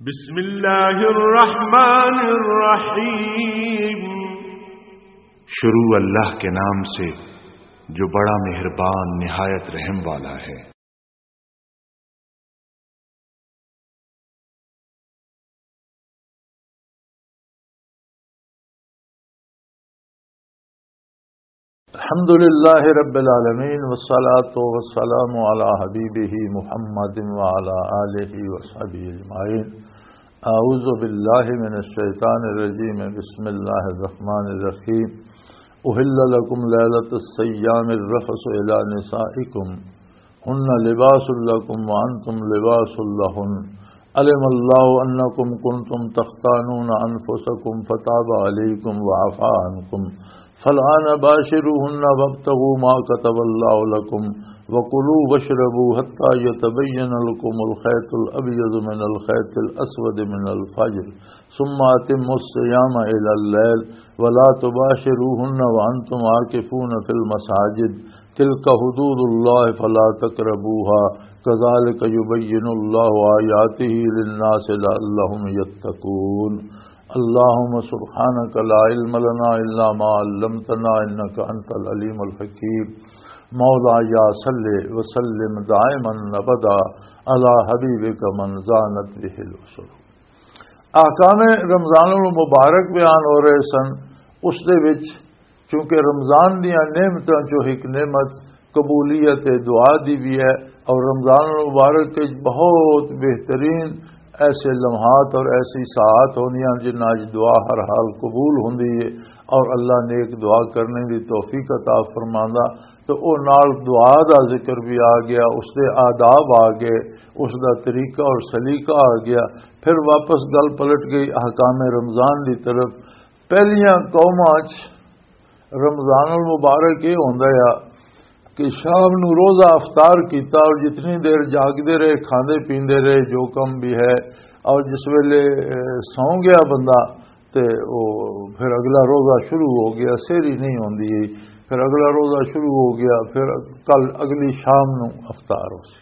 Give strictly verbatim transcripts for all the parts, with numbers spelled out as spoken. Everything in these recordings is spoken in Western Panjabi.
بسم اللہ الرحمن الرحیم۔ شروع اللہ کے نام سے جو بڑا مہربان نہایت رحم والا ہے۔ الحمد لله رب العالمين، والصلاة والسلام على حبيبه محمد وعلى آله وصحبه أجمعين. أعوذ بالله من الشيطان الرجيم. بسم الله الرحمن الرحيم. أحل لكم ليلة الصيام الرفث إلى نسائكم، هن لباس لكم وأنتم لباس لهن. علم الله أنكم كنتم تختانون أنفسكم فتاب عليكم وعفا عنكم، فالآن باشروهن وابتغوا ما كتب الله لكم، وكلوا واشربوا حتى يتبين لكم الخيط الأبيض من الخيط الأسود من الفجر، ثم أتموا الصيام إلى الليل، ولا تباشروهن وأنتم عاكفون في المساجد، تلك حدود الله فلا تقربوها، كذلك يبين الله آياته للناس لعلهم يتقون. اللهم سبحانك لا علم لنا إلا ما علمتنا إنك أنت العليم الحكيم. مولاي صل وسلم دائما أبدا على حبيبك من زانت به العصر. احکام رمضان المبارک بیان ہو رہے سن۔ اس دے وچ چونکہ رمضان دیاں نعمتاں چوں ایک نعمت قبولیت دعا دی بھی ہے، اور رمضان المبارک کے بہت بہترین ایسے لمحات اور ایسی ساعات ہوندیاں جنہاں وچ دعا ہر حال قبول ہوندی ہے، اور اللہ نیک دعا کرنے دی توفیق عطا فرماندا۔ تو او نال دعا دا ذکر بھی آ گیا، اس دے آداب آ گئے، اس دا طریقہ اور سلیقہ آ گیا۔ پھر واپس گل پلٹ گئی احکام رمضان دی طرف۔ پہلیاں قوماں چ رمضان المبارک یہ ہوندا ہے کہ شام نو روزہ افطار کیتا اور جتنی دیر جاگدے رہے، کھاندے پیندے رہے، جو کم بھی ہے، اور جس ویلے، اے، سو گیا بندہ، تے او پھر اگلا روزہ شروع ہو گیا، سحری نہیں ہوندی، پھر اگلا روزہ شروع ہو گیا، پھر کل اگلی شام نو افطار ہو سی۔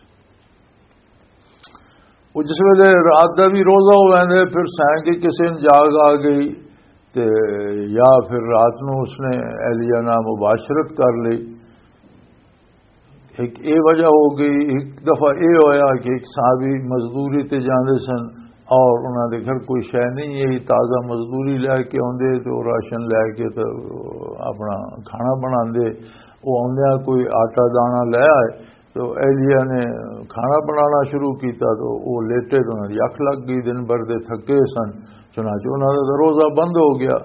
وہ جس ویلے رات دا بھی روزہ ہو ویندے، پھر سائیں کے کسے نے جاگ آ گئی، تے یا پھر رات نو اس نے اہلیہ نال مباشرت کر لی۔ ایک اے وجہ ہو گئی، ایک دفعہ اے ہویا کہ ایک صحابی مزدوری تے جاندے سن اور انہاں دے گھر کوئی شے نہیں ہے، تازہ مزدوری لے کے آندے تے او راشن لے کے تے اپنا کھانا بناندے۔ او آندیاں کوئی آٹا دانا لے آئے، تو اہلیہ نے کھانا بنانا شروع کیتا، تو وہ لیٹے تو انہاں دی اکھ لگ گئی، دن بھر دے تھکے سن۔ چنانچہ انہاں دا روزہ بند ہو گیا۔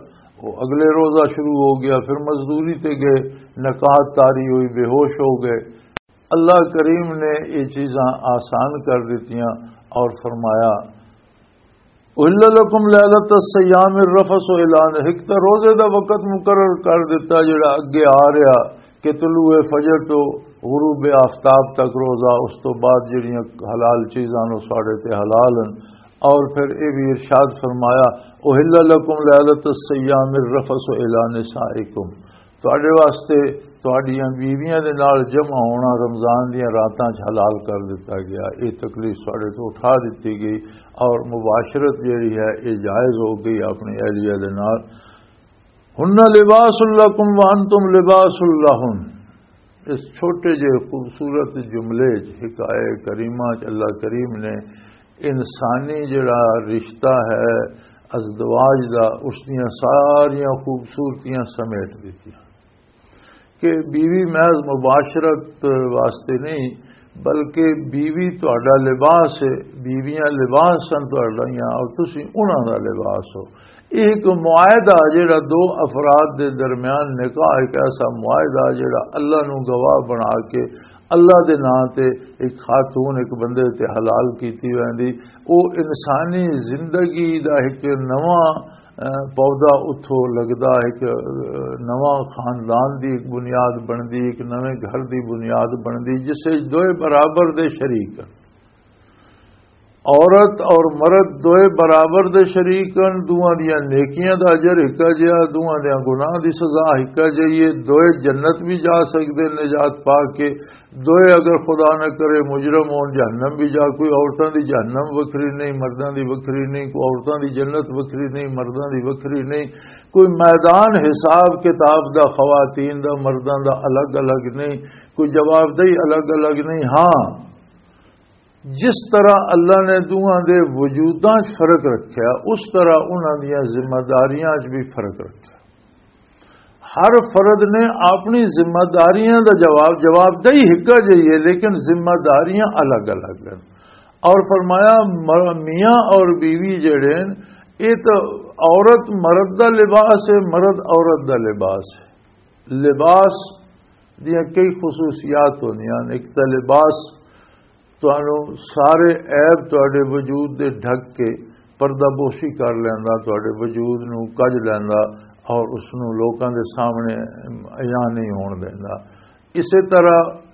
وہ اگلے روزہ شروع ہو گیا، پھر مزدوری تے گئے، نکاحت طاری ہوئی، بے ہوش ہو گئے۔ اللہ کریم نے یہ چیزاں آسان کر دیتیاں اور فرمایا، احل لکم لیلۃ الصیام الرفث الی نسائکم، ایک تو روزے دا وقت مقرر کر دیتا جڑا اگے آ رہا کہ طلوع فجر تو غروب آفتاب تک روزہ، اس تو بعد جڑیاں حلال چیزاں نو ساڑے تے حلال ہیں۔ اور پھر یہ بھی ارشاد فرمایا، احل لکم لیلۃ الصیام الرفث الی نسائکم، تواڈے واسطے تواڈیاں بیویاں دے نال جمع ہونا رمضان دیاں راتاں چ حلال کر دتا گیا۔ یہ تکلیف تواڈے تو اٹھا دتی گئی اور مباشرت جیڑی ہے یہ جائز ہو گئی اپنی اہلیہ دے نال۔ ہن لباس لکم وانتم لباس لہن۔ اس چھوٹے جے خوبصورت جملے چ، حکایہ کریمہ چ اللہ کریم نے انسانی جڑا رشتہ ہے ازدواج دا، اس دیاں ساریاں خوبصورتیاں سمیٹ دتیاں۔ کہ بیوی محض مباشرت واسطے نہیں، بلکہ بیوی تہاڈا لباس ہے، بیویاں لباس سن تہاڈیاں اور تسی انہاں دا لباس ہو۔ یہ ایک معاہدہ جڑا دو افراد دے درمیان نکاح، ایک ایسا معاہدہ جڑا اللہ نو گواہ بنا کے اللہ دے نام تے ایک خاتون ایک بندے تے حلال کیتی ویندی، او انسانی زندگی دا ایک نواں، اہ، پودا اتھوں لگدا، ایک، اہ، نواں خاندان دی ایک بنیاد بندی، ایک نویں گھر دی بنیاد بندی، جس وچ دوئے برابر دے شریک ہن۔ عورت اور مرد دوئے برابر دے شریک ہن، دوواں دیاں نیکیاں دا اجر ہکا جیا، دوواں دیاں گناہ دی سزا ہکا جئی ہے، دوئے جنت بھی جا سکدے، نجات پا کے، دوئے اگر خدا نہ کرے مجرم ہون، جہنم بھی جا۔ کوئی عورتاں دی جہنم وکھری نہیں، مرداں دی وکھری نہیں، کوئی عورتاں دی جنت وکھری نہیں، مرداں دی وکھری نہیں، کوئی میدان حساب کتاب دا خواتین دا مرداں دا الگ الگ نہیں، کوئی جوابدہی الگ الگ نہیں۔ ہاں، جس طرح اللہ نے دوواں دے وجوداں 'چ فرق رکھیا، اس طرح انہاں دیاں ذمہ داریاں 'چ بھی فرق رکھیا۔ ہر فرد نے اپنی ذمہ داریاں دا جواب، جوابدہی ہکا جئی ہے، لیکن ذمہ داریاں الگ الگ ہیں۔ اور فرمایا، مر-، میاں اور بیوی جڑے ہیں، یہ تو عورت مرد دا لباس ہے، مرد عورت دا لباس ہے۔ لباس دیاں کئی خصوصیات ہوندیاں نے۔ ایک تاں لباس تانوں سارے عیب تہاڈے وجود دے ڈھک کے پردہ پوشی کر لیندا، تہاڈے وجود نوں کج لیندا اور اس نوں لوکاں دے سامنے عیاں نہیں ہون دیندا۔ اسے طرح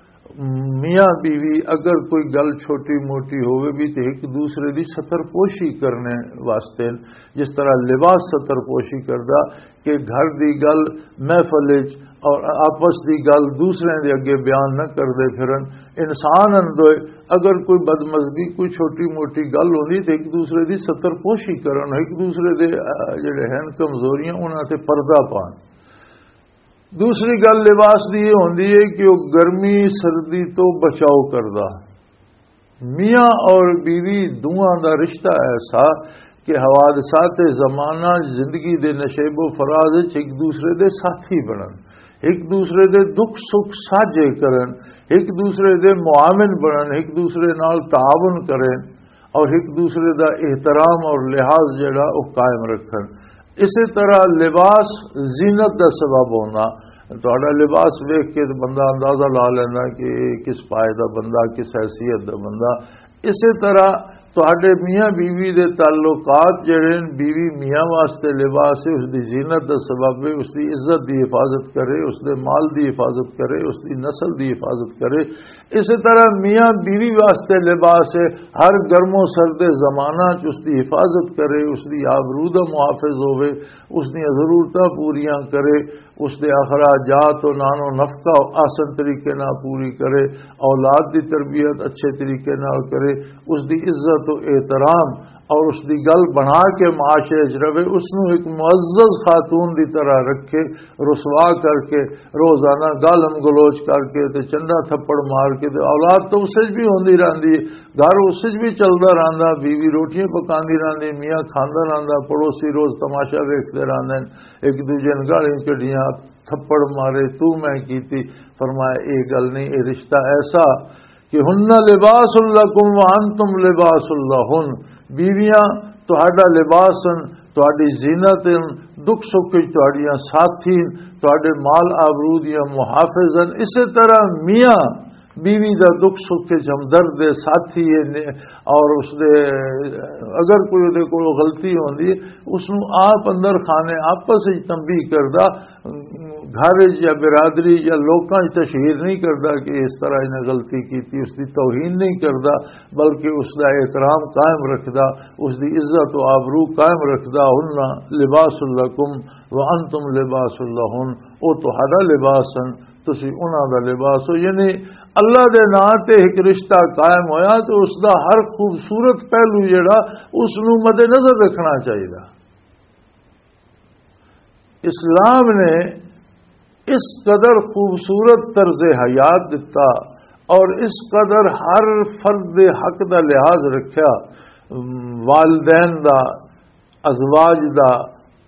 میاں بیوی اگر کوئی گل چھوٹی موٹی ہووے بھی تے ایک دوسرے دی ستر پوشی کرنے واسطے، جس طرح لباس ستر پوشی کردا، کہ گھر دی گل محفل وچ اور آپس دی گل دوسرے دے اگے بیان نہ کردے پھرن۔ انسان ہن دوئے، اگر کوئی بدمزگی، کوئی چھوٹی موٹی گل ہوندی تے ایک دوسرے دی ستر پوشی کرن، ایک دوسرے دے، آ، جڑے ہن کمزوریاں، انہاں تے پردہ پان۔ دوسری گل لباس دی یہ ہوندی ہے کہ وہ گرمی سردی تو بچاؤ کردا۔ میاں اور بیوی دوواں دا رشتہ ایسا کہ حوادثات زمانہ، زندگی دے نشیب و فراز وچ ایک دوسرے دے ساتھی بنن، ایک دوسرے دے دکھ سکھ ساجھے کرن، ایک دوسرے دے معاون بنن، ایک دوسرے نال تعاون کرن اور ایک دوسرے دا احترام اور لحاظ جڑا وہ قائم رکھن۔ اسی طرح لباس زینت دا سبب ہونا۔ تہاڈا لباس ویکھ کے تے بندہ اندازہ لا لیندا کہ یہ کس پائے دا بندہ، کس حیثیت دا بندہ۔ اسی طرح تہاڈے میاں بیوی دے تعلقات جڑے نے، بیوی میاں واسطے لباس ہے، اس دی زینت دا سبب ہے، اس دی عزت دی حفاظت کرے، اس دے مال دی حفاظت کرے، اس دی نسل دی حفاظت کرے۔ اسی طرح میاں بیوی واسطے لباس ہے، ہر گرم و سرد زمانہ چ اس دی حفاظت کرے، اس دی آبرو دا محافظ ہوے، اس دیاں ضرورتاں پوریاں کرے، اس دے اخراجات و نان و نفقہ آسن طریقے نال پوری کرے، اولاد دی تربیت اچھے طریقے نال کرے، اس دی عزت و احترام اور اس دی گل بنا کے معاشرے وچ رہے، اس نوں ایک معزز خاتون دی طرح رکھے، رسوا کر کے، روزانہ گالم گلوچ کر کے تے چنڈا تھپڑ مار کے تے اولاد تو اس وچ بھی ہوندی رہندی ہے، گھر اس وچ بھی چلدا رہندا، بیوی روٹیاں پکاندی رہندی، میاں کھاندا رہندا، پڑوسی روز تماشا ویکھدے رہندے نے، ایک دوجے نوں گالیاں کڈیاں، تھپڑ مارے، تو میں کیتی۔ فرمایا، یہ گل نہیں، یہ رشتہ ایسا کہ ہن لباس لکم وانتم لباس لہن، بیویاں تہاڈا لباس ہن، تہاڈی زینت ہن، دکھ سکھ وچ تہاڈیاں ساتھی ہن، تہاڈے مال آبرو دیاں محافظ ہن۔ اسی طرح میاں بیوی دا دکھ سکھ وچ ہمدرد ہے، ساتھی ہے، نے-، اور اس دے اگر کوئی دے کول غلطی ہوندی ہے، اس نوں آپ اندر خانے آپس وچ تنبیہ کردا، گھر وچ یا برادری یا لوکاں وچ تشہیر نہیں کردا کہ اس طرح انہاں غلطی کیتی، اس دی توہین نہیں کردا، بلکہ اس دا احترام قائم رکھدا، اس دی عزت و آبرو قائم رکھدا۔ ہن لباس لکم وانتم لباس لہن، او تہاڈا لباس ہن، تسی انہاں دا لباس ہو۔ یعنی اللہ دے ناں تے ایک رشتہ قائم ہویا تو اس دا ہر خوبصورت پہلو جڑا، اس نوں مد نظر رکھنا چاہیے۔ اسلام نے اس قدر خوبصورت طرز حیات دتا اور اس قدر ہر فرد دے حق دا لحاظ رکھیا، والدین دا، ازواج دا،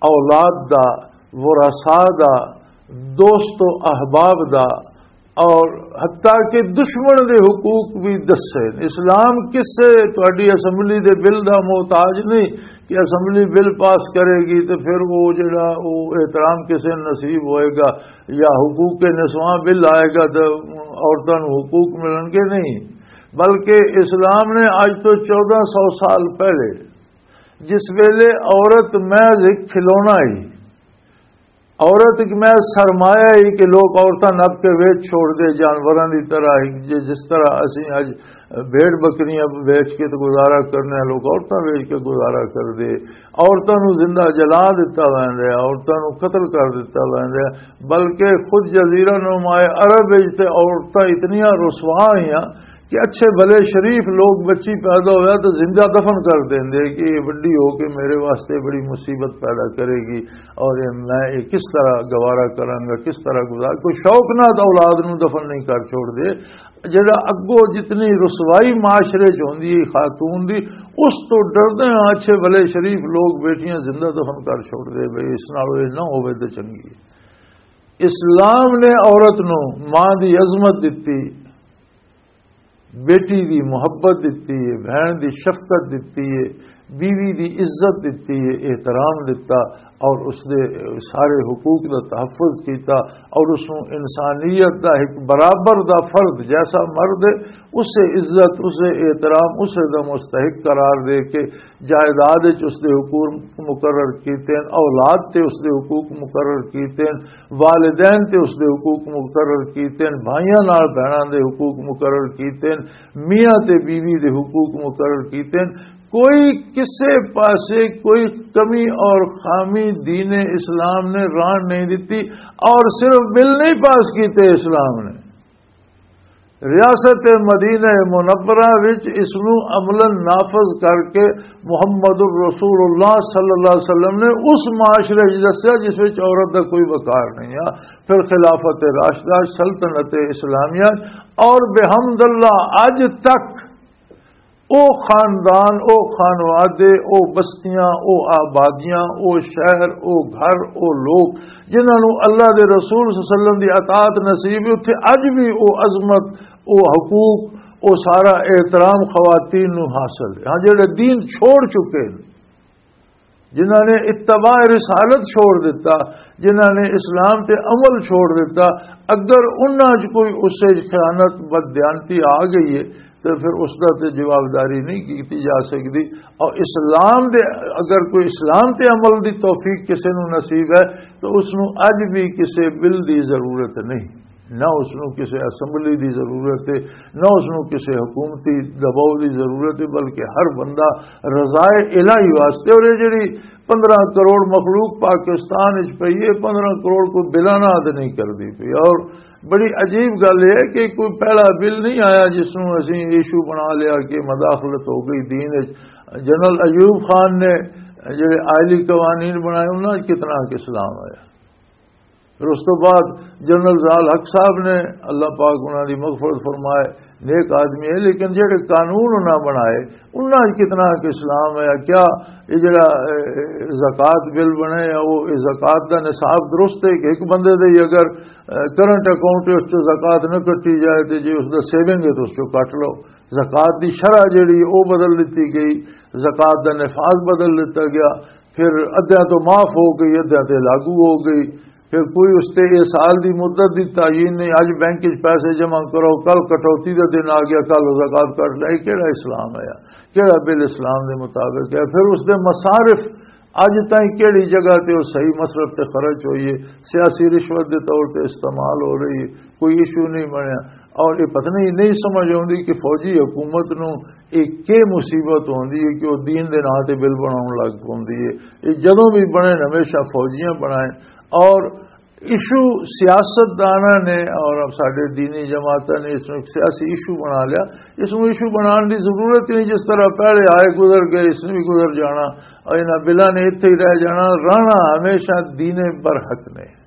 اولاد دا، ورثاء دا، دوست و احباب دا، اور حتیٰ کہ دشمن دے حقوق بھی دسے۔ اسلام کسے تہاڈی اسمبلی دے بل دا محتاج نہیں کہ اسمبلی بل پاس کرے گی تے پھر وہ جڑا وہ احترام کسے نصیب ہوئے گا یا حقوق نسواں بل آئے گا تے عورتاں نوں حقوق ملن گے، نہیں۔ بلکہ اسلام نے اج تو چودہ سو سال پہلے جس ویلے عورت محض ایک کھلونا ہی، عورت ایک میں سرمایہ ہی کہ لوگ عورتاں نپ کے ویچ چھوڑ دے، جانوراں دی طرح ہی، جے جس طرح اسی اج بھیڑ بکریاں ویچ کے تے گزارا کرنے ہیں، لوگ عورتاں ویچ کے گزارا کر دے۔ عورتاں نو زندہ جلا دتا ویندا ہے، عورتاں نو قتل کر دتا ویندا ہے، بلکہ خود جزیرہ نما عرب وچ تے عورتاں اتنیاں رسوا ہوئیاں کہ اچھے بھلے شریف لوگ، بچی پیدا ہویا تو زندہ دفن کر دیندے کہ یہ بڑی ہو کے میرے واسطے بڑی مصیبت پیدا کرے گی، اور یہ، میں یہ کس طرح گوارا کراں گا، کس طرح گزار، کوئی شوق نہ تو اولاد نو دفن نہیں کر چھوڑ دے۔ جڑا اگوں جتنی رسوائی معاشرے چ ہوندی ہے خاتون دی، اس تو ڈردے ہاں اچھے بھلے شریف لوگ بیٹیاں زندہ دفن کر چھوڑ دے، بھئی اس نال یہ نہ ہوے تے چنگی ہے۔ اسلام نے عورت نو ماں دی عظمت دتی، بیٹی دی محبت دتی ہے، بہن دی شفقت دتی ہے، بیوی دی عزت دتی ہے، احترام دتا، اور اس دے سارے حقوق دا تحفظ کیتا، اور اس نوں انسانیت دا ایک برابر دا فرد، جیسا مرد ہے، اسے عزت، اسے احترام، اسے دا مستحق قرار دے کے جائیداد وچ اس دے حقوق مقرر کیتے ہیں، اولاد تے اس دے حقوق مقرر کیتے ہیں، والدین تے اس دے حقوق مقرر کیتے ہیں، بھائیاں نال بہناں دے حقوق مقرر کیتے ہیں، میاں تے بیوی دے حقوق مقرر کیتے ہیں۔ کوئی کسے پاسے کوئی کمی اور خامی دین اسلام نے ران نہیں دیتی، اور صرف بل نہیں پاس کیتے اسلام نے، ریاست مدینہ منورہ وچ اس نو عملاً نافذ کر کے محمد الرسول اللہ صلی اللہ علیہ وسلم نے اس معاشرے وچ دسیا جس وچ عورت دا کوئی وقار نہیں ہے۔ پھر خلافت راشدہ، سلطنت اسلامیہ اور بحمد اللہ اج تک او خاندان، او خانوادے، او بستیاں، او آبادیاں، او شہر، او گھر، او لوگ جنہاں نوں اللہ دے رسول صلی اللہ علیہ وسلم دی اطاعت نصیب ہے، اتھے اج بھی او عظمت، او حقوق، او سارا احترام خواتین نوں حاصل ہے۔ ہاں، جڑے دین چھوڑ چکے ہیں، جنہاں نے اتباع رسالت چھوڑ دیتا، جنہاں نے اسلام تے عمل چھوڑ دیتا، اگر انہاں 'چ کوئی اس 'چ خیانت، بددیانتی آ گئی ہے، تو پھر اس دا تے جوابداری نہیں کیتی جا سکدی۔ اور اسلام دے، اگر کوئی اسلام تے عمل دی توفیق کسے نوں نصیب ہے، تو اس نوں اج بھی کسے بل دی ضرورت نہیں۔ نہ اس نوں کسے اسمبلی دی ضرورت ہے، نہ اس نوں کسے حکومتی دباؤ دی ضرورت ہے، بلکہ ہر بندہ رضائے الہی واسطے۔ اور یہ جڑی 15 کروڑ مخلوق پاکستان وچ پئی ہے، 15 کروڑ کوئی بلاں نال تے نہیں کردی پئی۔ اور بڑی عجیب گل یہ ہے کہ کوئی پہلا بل نہیں آیا جس نوں اسی ایشو بنا لیا کہ مداخلت ہو گئی دین وچ۔ جنرل ایوب خان نے جڑے آئلی قوانین بنائے، انہاں وچ کتنا کچھ اسلام آیا۔ پھر اس تو بعد جنرل ضیاء الحق صاحب نے، اللہ پاک انہاں دی مغفرت فرمائے، نیک آدمی ہے، لیکن جڑے قانون انہاں بنائے، انہاں وچ کتنا کچھ اسلام آیا؟ کیا یہ جڑا، اے، زکوٰۃ بل بنے، وہ یہ زکوٰۃ دا نصاب درست ہے کہ ایک بندے دے ہی اگر، اے، کرنٹ اکاؤنٹ وچ زکوٰۃ نہ کٹی جائے تے جے اس دا سیونگ ہے تو اس چوں کٹ لو۔ زکوٰۃ دی شرح جڑی او بدل دتی گئی، زکوٰۃ دا نفاذ بدل دتا گیا، پھر ادھیاں تو معاف ہو گئی، ادھیاں تے لاگو ہو گئی۔ پھر کوئی اس تے یہ سال دی مدت دی تعین نہیں، اج بینک وچ پیسے جمع کرو، کل کٹوتی دا دن آ گیا، کل زکوٰۃ کٹ لے۔ یہ کیڑا اسلام ہے؟ کیڑا بل اسلام دے مطابق ہے؟ پھر اس دے مصارف، اج تائیں کیڑی جگہ تے وہ صحیح مصرف تے خرچ ہوئی ہے، سیاسی رشوت دے طور تے استعمال ہو رہی ہے، کوئی ایشو نہیں بنیا۔ اور یہ پتہ نہیں، نہیں سمجھ آوندی کہ فوجی حکومت نو ایک کے مصیبت ہوندی ہے کہ وہ دین دے نام تے بل بناون لگ پوندی ہے۔ یہ جدوں بھی بنے، ہمیشہ فوجیاں بنائے۔ اور ایشو سیاستداناں نے اور ساڈے دینی جماعتاں نے اس نوں ایک سیاسی ایشو بنا لیا۔ اس نوں ایشو بنان دی ضرورت ہی نہیں، جس طرح پہلے آئے گزر گئے، اس نے بھی گزر جانا، اور انہاں بلاں نے اتھے ہی رہ جانا۔ رہنا ہمیشہ دین برحق نے۔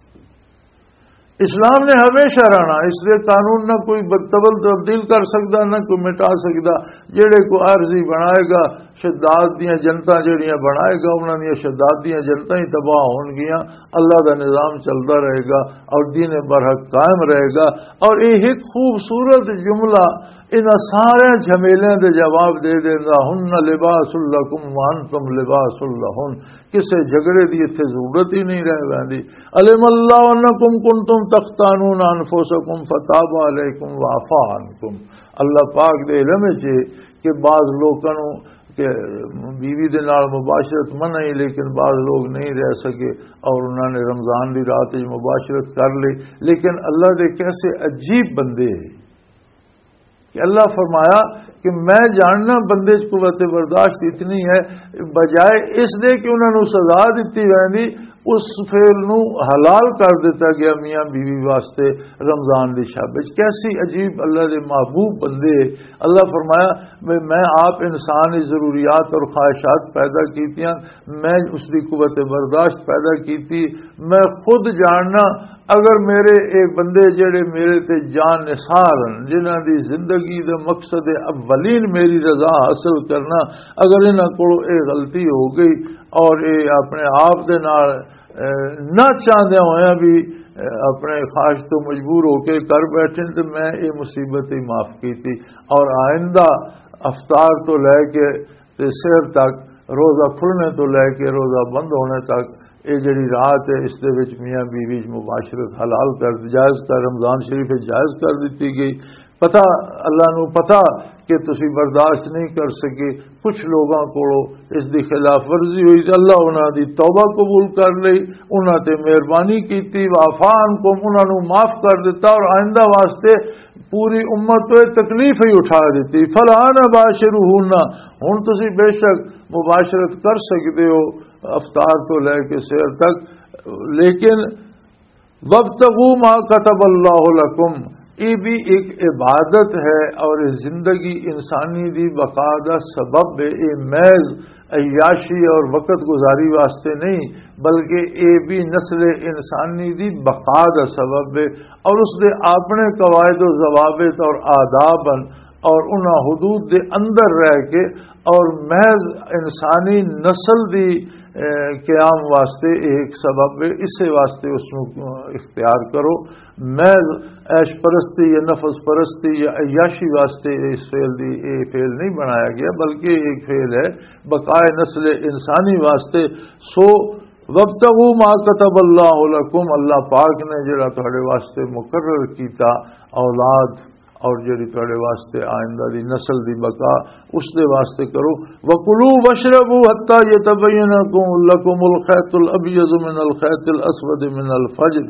اسلام نے ہمیشہ رہنا، اس دے قانون نہ کوئی بدتبل تبدیل کر سکدا، نہ کوئی مٹا سکدا۔ جڑے کوئی عارضی بنائے گا، شداد دیاں جنتاں جڑیاں بنائے گا، انہاں دیاں شداد دیاں جنتاں ہی تباہ ہون گیاں۔ اللہ دا نظام چلدا رہے گا اور دین برحق قائم رہے گا۔ اور یہ ایک خوبصورت جملہ انہاں سارے جھمیلیاں دے جواب دے دیندا، "ہن لباس لکم وانتم لباس لہن۔" کسے جھگڑے دی اتھے ضرورت ہی نہیں رہ ویندی۔ "علم اللہ انکم کنتم تختانون انفسکم فتاب علیکم وعفا عنکم۔" اللہ پاک دے علم وچ ہے کہ بعض لوکاں نوں کہ بیوی دے نال مباشرت منع ہی، لیکن بعض لوگ نہیں رہ سکے اور انہوں نے رمضان دی رات وچ مباشرت کر لی۔ لیکن اللہ دے کیسے عجیب بندے ہیں کہ اللہ فرمایا کہ میں جاننا بندے چ قوت برداشت اتنی ہے، بجائے اس دے کہ انہوں نے سزا دتی ویندی، اس فعل نو حلال کر دیتا گیا میاں بیوی واسطے رمضان دی شب وچ۔ کیسی عجیب اللہ دے محبوب بندے۔ اللہ فرمایا، میں، میں آپ انسان دی ضروریات اور خواہشات پیدا کیتیاں، میں اس دی قوت برداشت پیدا کیتی۔ میں خود جاننا، اگر میرے اے بندے جڑے میرے تے جان نثار ہن، جنہاں دی زندگی دے مقصد اولین میری رضا حاصل کرنا، اگر انہاں کولوں اے غلطی ہو گئی اور اے اپنے آپ دے نال، اے، نہ چاہدے ہوئے بھی، اے، اپنے خواہش تو مجبور ہو کے کر بیٹھے، تو میں اے مصیبت ہی معاف کیتی۔ اور آئندہ افطار تو لے کے تے سحر تک، روزہ کھلنے تو لے کے روزہ بند ہونے تک، اے جڑی رات ہے، اس دے وچ میاں بیوی وچ مباشرت حلال کر، جائز کر، رمضان شریف وچ جائز کر دتی گئی۔ پتہ، اللہ نو پتہ کہ تسی برداشت نہیں کر سکے۔ کچھ لوگاں کولوں اس دی خلاف ورزی ہوئی تے اللہ انہاں دی توبہ قبول کر لئی، انہاں تے مہربانی کیتی، وعفا عنکم، انہاں نو معاف کر دتا اور آئندہ واسطے پوری امت تو یہ تکلیف ہی اٹھا دیتی۔ فالآن باشروہن، ہن تسی بے شک مباشرت کر سکدے ہو افطار تو لے کے سحر تک، لیکن وابتغوا ما كتب الله لكم، یہ بھی ایک عبادت ہے اور یہ زندگی انسانی دی بقا دا سبب ہے۔ یہ محض عیاشی اور وقت گزاری واسطے نہیں، بلکہ یہ بھی نسل انسانی دی بقا دا سبب ہے اور اس دے اپنے قواعد و ضوابط اور آداب ہیں اور انہاں حدود دے اندر رہ کے اور محض انسانی نسل دی، اے، قیام واسطے ایک سبب ہے۔ اسے واسطے اس نو اختیار کرو۔ محض عیش پرستی یا نفس پرستی یا عیاشی واسطے اس فعل دی، اے فعل نہیں بنایا گیا، بلکہ ایک فعل ہے بقائے نسل انسانی واسطے۔ سو وابتغوا ما كتب الله لكم، اللہ پاک نے جڑا تہاڈے واسطے مقرر کیتا اولاد اور جڑی تہاڈے واسطے آئندہ دی نسل دی بقا، اس دے واسطے کرو۔ وَكُلُوا وَاشْرَبُوا حَتَّى يَتَبَيَّنَ لَكُمُ الْخَيْطُ الْأَبْيَضُ مِنَ الْخَيْطِ الْأَسْوَدِ مِنَ الْفَجْرِ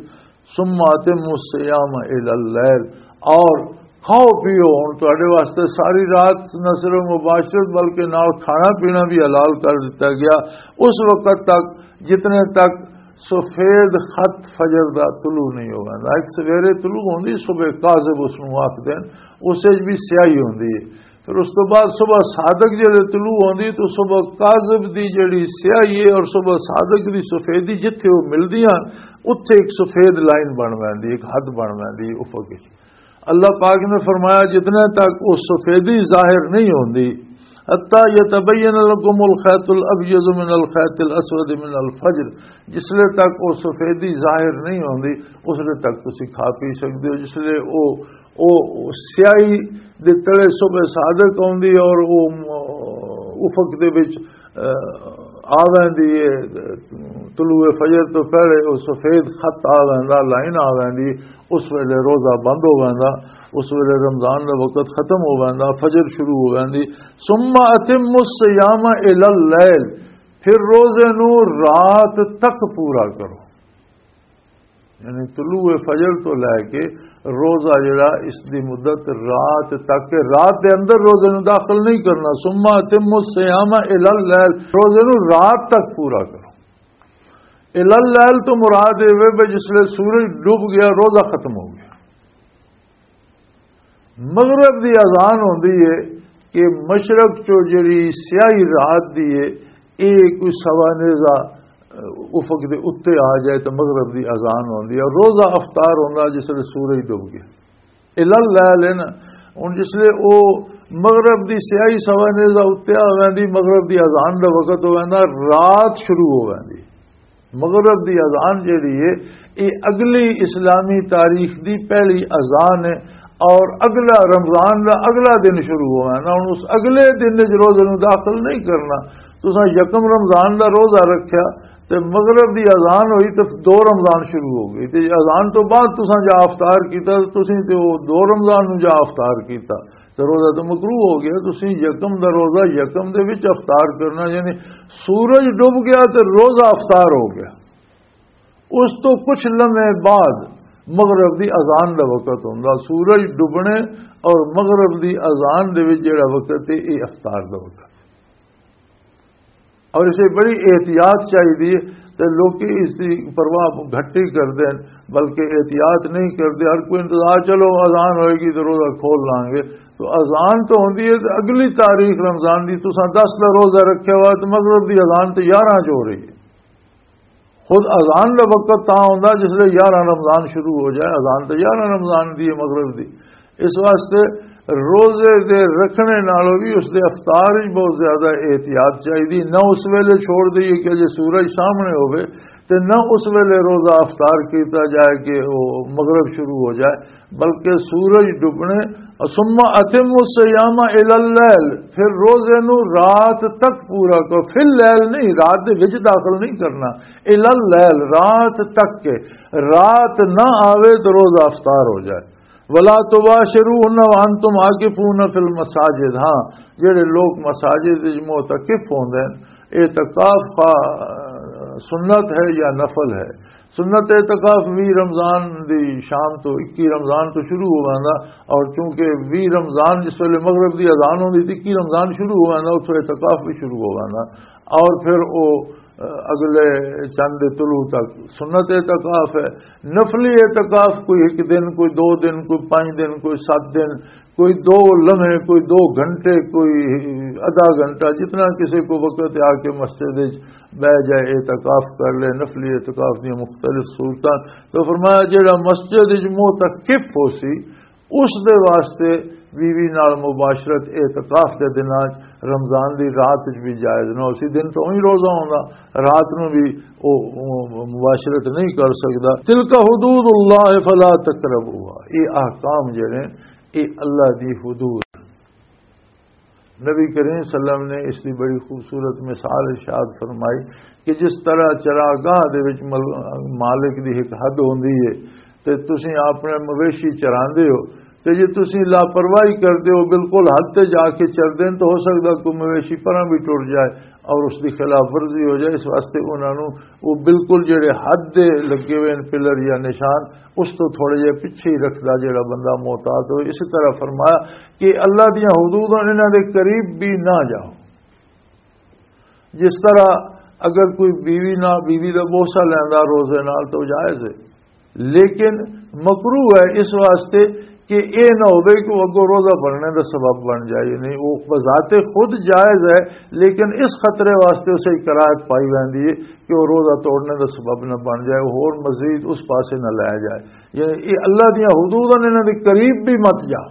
ثُمَّ أَتِمُّوا الصِّيَامَ إِلَى اللَّيْلِ۔ اور کھاؤ پیو، ہن تہاڈے واسطے ساری رات نہ صرف مباشرت بلکہ نال کھانا پینا بھی حلال کر دتا گیا، اس وقت تک جتنے تک سفید خط فجر دا طلوع نہیں ہو ویندا۔ ایک سویرے طلوع ہوندی، صبح کاذب اس نوں آکھدے نے، اس وچ بھی سیاہی ہوندی ہے۔ پھر اس تو بعد صبح صادق جڑے طلوع ہوندی، تو صبح کاذب دی جڑی سیاہی ہے اور صبح صادق دی سفیدی جتھے وہ ملدیاں، اتھے ایک سفید لائن بن ویندی، ایک حد بن ویندی ہے افق وچ۔ اللہ پاک نے فرمایا، جتنے تک وہ سفیدی ظاہر نہیں ہوندی، حتی یتبین لکم الخیط الابیض من الخیط الاسود من الفجر، جسلے تک وہ سفیدی ظاہر نہیں ہوندی، اس لے تک تسی کھا پی سکدے ہو۔ جسلے وہ، وہ سیاہی دے تلے صبح صادق ہوندی اور وہ افق دے وچ آ ویندی ہے، طلوع فجر تو پہلے وہ سفید خط آ ویندا، لائن آ ویندی، اس ویلے روزہ بند ہو ویندا، اس ویلے رمضان دا وقت ختم ہو ویندا، فجر شروع ہو ویندی۔ ثم اتم الصیام الی اللیل، پھر روزے نو رات تک پورا کرو۔ یعنی طلوع فجر تو لے کے روزہ جڑا، اس دی مدت رات تک ہے، رات دے اندر روزے نوں داخل نہیں کرنا۔ ثم اتم الصیام الی اللیل، روزے نوں رات تک پورا کرو۔ الی اللیل تو مراد یہ ہے بھی جس لے سورج ڈوب گیا، روزہ ختم ہو گیا۔ مغرب دی اذان ہوندی ہے کہ مشرق چو جڑی سیاہی رات دی ہے، اے کوئی سوا نیزہ، اہ، افق دے اُتے آ جائے تو مغرب دی اذان ہوندی ہے۔ روزہ افطار ہوندا جس لے سورج ڈوب گیا۔ الا اللہ ہے نا، ہن جس لے او مغرب دی سیاہی سوا نیزہ اُتے آ ویندی، مغرب دی اذان دا وقت ہو ویندا، رات شروع ہو ویندی۔ مغرب دی اذان جیڑی ہے، یہ اگلی اسلامی تاریخ دی پہلی اذان ہے، اور اگلا رمضان دا اگلا دن شروع ہونا ہے نا۔ ہن اس اگلے دن وچ روزے نوں داخل نہیں کرنا۔ تساں یکم رمضان دا روزہ رکھیا تے مغرب دی اذان ہوئی تے دو رمضان شروع ہو گئی، تے اذان تو بعد تساں جا افطار کیتا، تے تسیں تے او دو رمضان نوں جا افطار کیتا۔ تے روزہ تو مکروہ ہو گیا۔ تسی یکم دا روزہ یکم دے وچ افطار کرنا، یعنی سورج ڈوب گیا تے روزہ افطار ہو گیا، اس تو کچھ لمحے بعد مغرب دی اذان دا وقت ہوندا۔ سورج ڈوبنے اور مغرب دی اذان دے وچ جڑا وقت ہے، یہ افطار دا وقت ہے۔ اور اسے بڑی احتیاط چاہیے، تے لوکی اس دی پرواہ گھٹ ہی کردے ہیں، بلکہ احتیاط نہیں کردے۔ ہر کوئی انتظار، چلو اذان ہوئے گی تو روزہ کھول لانگے۔ تو اذان تو ہوندی ہے تے اگلی تاریخ رمضان دی، تساں دس دا روزہ رکھیا ہوا تے مغرب دی اذان تے یارہ چ ہو رہی ہے۔ خود اذان دا وقت تاں ہوندا جس لے یارہ رمضان شروع ہو جائے، اذان تے یارہ رمضان دی ہے، مغرب دی۔ اس واسطے روزے دے رکھنے نالوں بھی اس دے افطار وچ بہت زیادہ احتیاط چاہیے۔ نہ اس ویلے چھوڑ دئیے کہ اجے سورج سامنے ہوے، تے نہ اس ویلے روزہ افطار کیتا جائے کہ وہ مغرب شروع ہو جائے، بلکہ سورج ڈبنے۔ ثم اتم الصیام الی اللیل، پھر روزے نو رات تک پورا کرو۔ فی اللیل نہیں، رات دے وچ داخل نہیں کرنا، الی اللیل، رات تک کے، رات نہ آوے تو روزہ افطار ہو جائے۔ ولا تباشروهن وانتم عاکفون فی المساجد۔ ہاں، جڑے لوگ مساجد وچ معتکف ہوندے ہیں، اعتکاف خواہ سنت ہے یا نفل ہے؟ سنت اعتکاف وی رمضان دی شام تو، اکی رمضان تو شروع ہو ویندا، اور چونکہ وی رمضان جس ویلے مغرب دی اذان ہوندی تے اکی رمضان شروع ہو ویندا، اتھوں اعتکاف بھی شروع ہو ویندا، اور پھر او اگلے چند طلوع تک سنت اعتکاف ہے۔ نفلی اعتکاف کوئی ایک دن، کوئی دو دن، کوئی پانچ دن، کوئی سات دن، کوئی دو لمحے، کوئی دو گھنٹے، کوئی آدھا گھنٹہ، جتنا کسی کو وقت آ کے مسجد وچ بہ جائے، اعتکاف کر لے۔ نفلی اعتکاف دی مختلف صورتاں۔ تو فرمایا، جڑا مسجد وچ معتکف ہو سی، اس دے واسطے بیوی نال مباشرت اعتکاف دے دناں وچ رمضان دی رات وچ بھی جائز نہ ہو سی۔ دن تو ہی روزہ ہوندا، رات نو بھی او، او مباشرت نہیں کر سکدا۔ تلک حدود اللہ فلا تقربوها، یہ احکام جڑے، یہ اللہ دی حدود۔ نبی کریم صلی اللہ علیہ وسلم نے اس کی بڑی خوبصورت مثال ارشاد فرمائی کہ جس طرح چراگاہ دے وچ مل-، مالک دی ایک حد ہوندی ہے، تے تسی اپنے مویشی چراندے ہو، تے جے تسی لاپرواہی کردے ہو، بالکل حد تے جا کے چردے ہیں، تو ہو سکدا کوئی مویشی پراں بھی ٹر جائے اور اس دی خلاف ورزی ہو جائے۔ اس واسطے انہاں نوں وہ بالکل جڑے حد دے لگے ہوئے ہیں پلر یا نشان، اس تو تھوڑے جے پیچھے ہی رکھدا جڑا بندہ محتاط ہو۔ اسی طرح فرمایا کہ اللہ دیاں حدود ہن، انہاں دے قریب بھی نہ جاؤ۔ جس طرح اگر کوئی بیوی نہ، بیوی دا بوسہ لیندا روزے نال تو جائز ہے، لیکن مکروہ ہے اس واسطے کہ اے نہ ہوے کہ وہ اگوں روزہ بننے دا سبب بن جائے۔ یعنی وہ بذات خود جائز ہے، لیکن اس خطرے واسطے اسے کراہت پائی ویندی ہے کہ وہ روزہ توڑنے دا سبب نہ بن جائے، وہ ہور مزید اس پاسے نہ لے جائے۔ یعنی یہ اللہ دیاں حدود ہیں، انہاں دے قریب بھی مت جا۔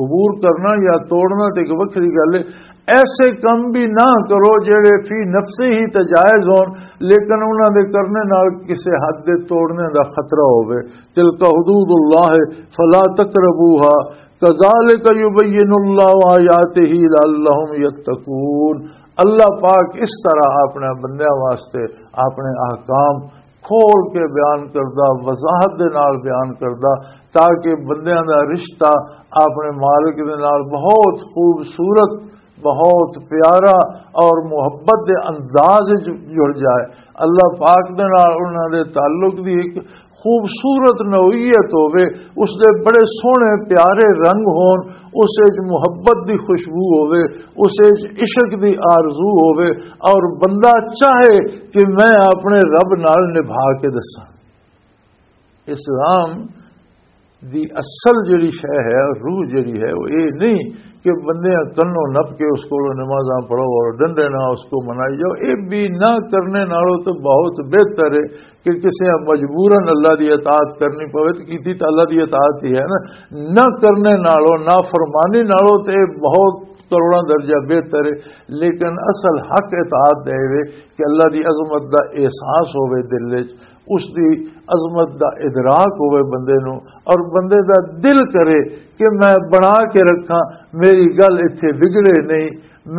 عبور کرنا یا توڑنا تے ایک وکھری گل ہے۔ ایسے کم بھی نہ کرو جڑے فی نفسے ہی تے جائز ہون، لیکن انہاں دے کرنے نال کسے حد دے توڑنے دا خطرہ ہوے۔ تلک حدود اللہ فلا تقربوها کذالک یبین اللہ آیاتہ لعلہم یتقون۔ اللہ پاک اس طرح اپنے بندیاں واسطے اپنے احکام کھول کے بیان کردا، وضاحت دے نال بیان کردا، تاکہ بندیاں دا رشتہ اپنے مالک دے نال بہت خوبصورت، بہت پیارا اور محبت دے انداز وچ جڑ جائے۔ اللہ پاک دے نال انہاں دے تعلق دی ایک خوبصورت نوعیت ہووے، اس دے بڑے سوہنے پیارے رنگ ہون، اس وچ محبت دی خوشبو ہووے، اس وچ عشق دی آرزو ہووے، اور بندہ چاہے کہ میں اپنے رب نال نبھا کے دساں۔ اسلام دی اصل جڑی شے ہے، روح جڑی ہے، وہ یہ نہیں کہ بندے کنوں نپ کے اس کو نمازاں پڑھو اور ڈنڈے نہ اس کو منائی جاؤ۔ یہ بھی نہ کرنے نالوں تو بہت بہتر ہے کہ کسے مجبوراً اللہ دی اطاعت کرنی پوے، تو کیتی تو اللہ دی اطاعت ہی ہے نا۔ نہ کرنے نالوں، نافرمانی نالوں تے بہت کروڑاں درجہ بہتر ہے۔ لیکن اصل حق اطاعت دے وے کہ اللہ دی عظمت دا احساس ہوے دل وچ، اس دی عظمت دا ادراک ہوے بندے نو، اور بندے دا دل کرے کہ میں بنا کے رکھاں، میری گل اتھے بگڑے نہیں،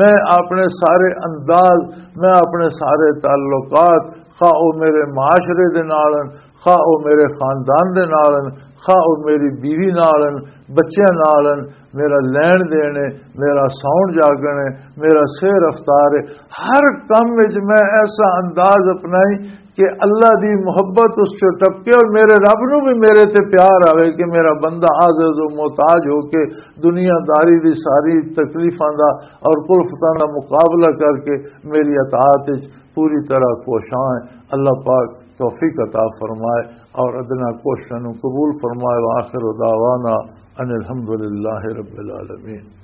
میں اپنے سارے انداز، میں اپنے سارے تعلقات، خواہ او میرے معاشرے دے نال ہن، خواہ او میرے خاندان دے نال ہن، خواہ او میری بیوی نال ہن، بچیاں نال ہن، میرا لین دین ہے، میرا ساؤن جاگن ہے، میرا سیر رفتار ہے۔ ہر کم وچ میں ایسا انداز اپنائی کہ اللہ دی محبت اس چوں ٹپکے اور میرے رب نو بھی میرے تے پیار آوے کہ میرا بندہ عاجز و محتاج ہو کے دنیا داری دی ساری تکلیفاں دا اور کلفتاں دا مقابلہ کر کے میری اطاعت وچ پوری طرح کوشاں ہے۔ اللہ پاک توفیق عطا فرمائے اور ادنا کوششاں نو قبول فرمائے۔ وآخر دعوانا ان الحمدللہ رب العالمین۔